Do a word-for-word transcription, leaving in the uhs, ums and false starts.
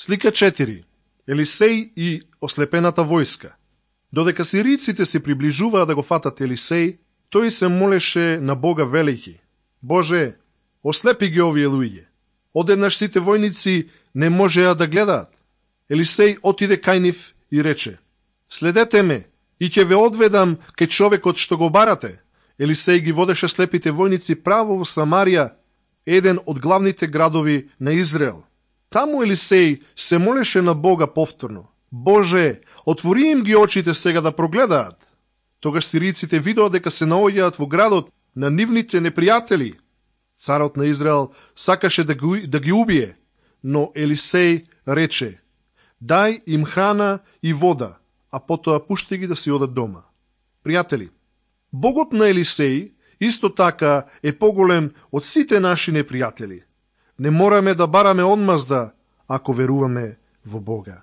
Слика четири. Елисеј и ослепената војска. Додека сириците се приближуваа да го фатат Елисеј, тој се молеше на Бога велејќи: Боже, ослепи ги овие луѓе. Одеднаш сите војници не можеа да гледаат. Елисеј отиде кај нив и рече: Следете ме и ќе ве одведам кај човекот што го барате. Елисеј ги водеше слепите војници право во Самарија, еден од главните градови на Израел. Таму Елисеј се молеше на Бога повторно: Боже, отвори им ги очите сега да прогледаат. Тогаш сириците видоа дека се наоѓаат во градот на нивните непријатели. Царот на Израел сакаше да ги, да ги убие, но Елисеј рече: Дај им храна и вода, а потоа пушти ги да си одат дома. Пријатели, Богот на Елисеј исто така е поголем од сите наши непријатели. Не мораме да бараме одмазда ако веруваме во Бога.